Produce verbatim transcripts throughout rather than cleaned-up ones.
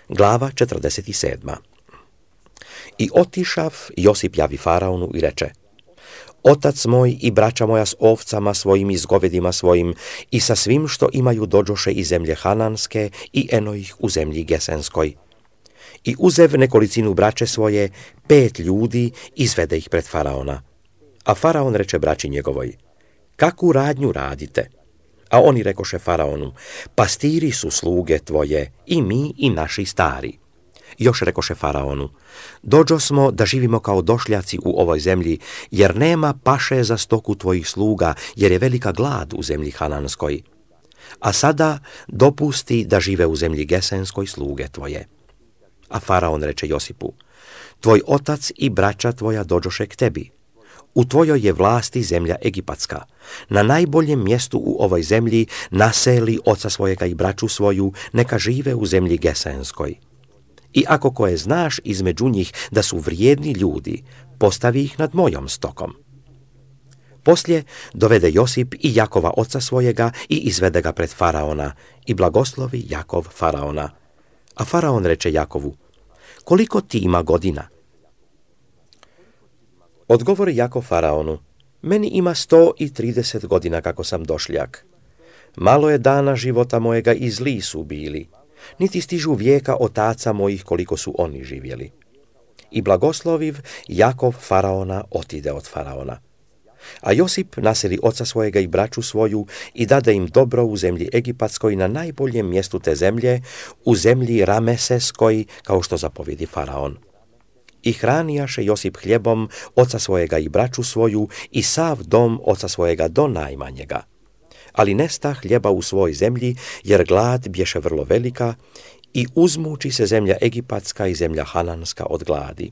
Glava četrdeset sedma. I otišav Josip javi faraonu i reče: Otac moj i braća moja s ovcama svojim i s govedima svojim i sa svim što imaju dođoše iz zemlje Hananske i eno ih u zemlji Gesenskoj. I uzev nekolicinu braće svoje, pet ljudi, izvede ih pred faraona. A faraon reče braći njegovoj: Kakvu radnju radite? A oni rekoše faraonu: Pastiri su sluge tvoje, i mi i naši stari. Još rekoše faraonu: Dođo smo da živimo kao došljaci u ovoj zemlji, jer nema paše za stoku tvojih sluga, jer je velika glad u zemlji Hananskoj. A sada dopusti da žive u zemlji Gesenskoj sluge tvoje. A faraon reče Josipu: Tvoj otac i braća tvoja dođoše k tebi. U tvojoj je vlasti zemlja Egipatska. Na najboljem mjestu u ovoj zemlji naseli oca svojega i braću svoju, neka žive u zemlji Gesenskoj. I ako koje znaš između njih da su vrijedni ljudi, postavi ih nad mojom stokom. Poslije dovede Josip i Jakova oca svojega i izvede ga pred faraona i blagoslovi Jakov faraona. A faraon reče Jakovu: Koliko ti ima godina? Odgovori Jakov faraonu: Meni ima sto i trideset godina kako sam došljak. Malo je dana života mojega i zli su bili, niti stižu vijeka otaca mojih koliko su oni živjeli. I blagosloviv Jakov faraona otide od faraona. A Josip naseli oca svojega i braću svoju i dade im dobro u zemlji Egipatskoj na najboljem mjestu te zemlje, u zemlji Rameseskoj, kao što zapovjedi faraon. I hranijaše Josip hljebom oca svojega i braću svoju i sav dom oca svojega do najmanjega. Ali nesta hljeba u svoj zemlji, jer glad bješe vrlo velika i uzmuči se zemlja Egipatska i zemlja Hananska od gladi.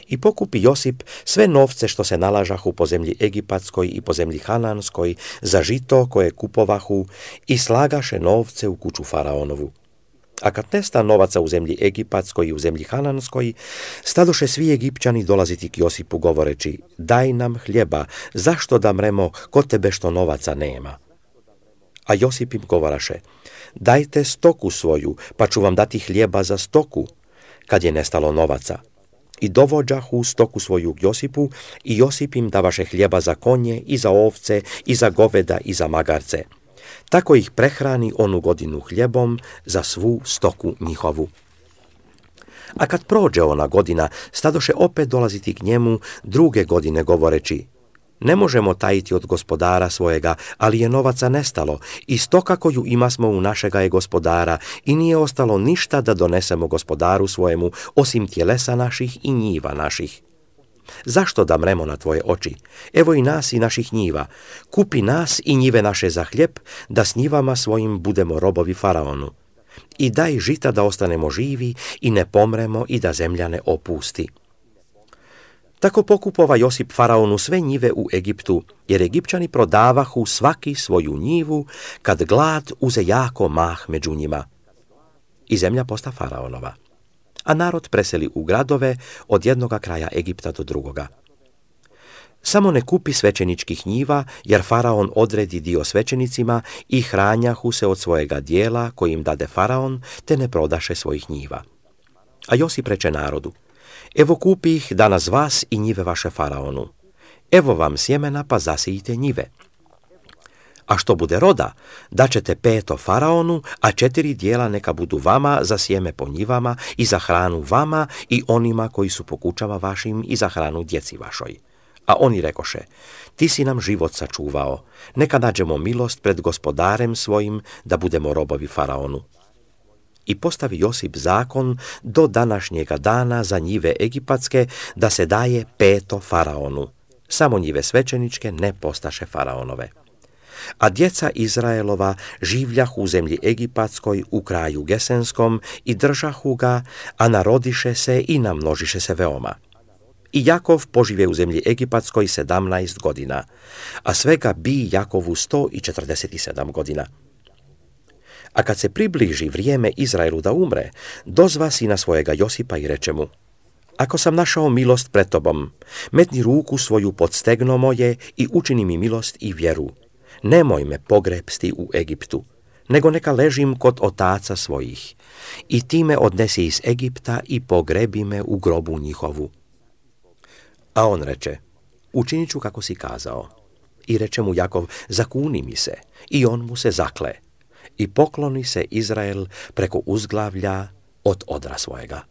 I pokupi Josip sve novce što se nalažahu po zemlji Egipatskoj i po zemlji Hananskoj za žito koje kupovahu i slagaše novce u kuću faraonovu. A kad nesta novaca u zemlji Egipatskoj i u zemlji Hananskoj, stadoše svi Egipćani dolaziti k Josipu govoreći: Daj nam hljeba, zašto da mremo kod tebe što novaca nema? A Josip im govoraše: Dajte stoku svoju, pa ću vam dati hljeba za stoku, kad je nestalo novaca. I dovođahu stoku svoju k Josipu i Josip im davaše hljeba za konje i za ovce i za goveda i za magarce. Tako ih prehrani onu godinu hljebom za svu stoku njihovu. A kad prođe ona godina, stadoše opet dolaziti k njemu druge godine govoreći: Ne možemo tajiti od gospodara svojega, ali je novaca nestalo i stoka koju imasmo u našega je gospodara i nije ostalo ništa da donesemo gospodaru svojemu, osim tjelesa naših i njiva naših. Zašto da mremo na tvoje oči? Evo i nas i naših njiva. Kupi nas i njive naše za hljeb, da s njivama svojim budemo robovi faraonu. I daj žita da ostanemo živi i ne pomremo i da zemlja ne opusti. Tako pokupova Josip faraonu sve njive u Egiptu, jer Egipćani prodavahu svaki svoju njivu, kad glad uze jako mah među njima. I zemlja posta faraonova. A narod preseli u gradove od jednoga kraja Egipta do drugoga. Samo ne kupi svećeničkih njiva, jer faraon odredi dio svećenicima i hranjahu se od svojega dijela koji im dade faraon, te ne prodaše svojih njiva. A Josip reče narodu: Evo kupi ih danas vas i njive vaše faraonu. Evo vam sjemena, pa zasijite njive. A što bude roda, daćete peto faraonu, a četiri dijela neka budu vama za sjeme po njivama i za hranu vama i onima koji su po kućama vašim i za hranu djeci vašoj. A oni rekoše: Ti si nam život sačuvao, neka nađemo milost pred gospodarem svojim, da budemo robovi faraonu. I postavi Josip zakon do današnjega dana za njive egipatske, da se daje peto faraonu. Samo njive svećeničke ne postaše faraonove. A djeca Izraelova življahu u zemlji Egipatskoj u kraju Gesenskom i držahu ga, a narodiše se i namnožiše se veoma. I Jakov požive u zemlji Egipatskoj sedamnaest godina, a svega bi Jakovu sto i četrdeset sedam godina. A kad se približi vrijeme Izraelu da umre, dozva sina svojega Josipa i reče mu: Ako sam našao milost pred tobom, metni ruku svoju pod stegno moje i učini mi milost i vjeru. Nemoj me pogrepsti u Egiptu. nego neka ležim kod otaca svojih. I ti me odnesi iz Egipta i pogrebi me u grobu njihovu. A on reče, učinit ću kako si kazao. I reče mu Jakov, zakuni mi se. I on mu se zakle. I pokloni se Izrael preko uzglavlja od odra svojega.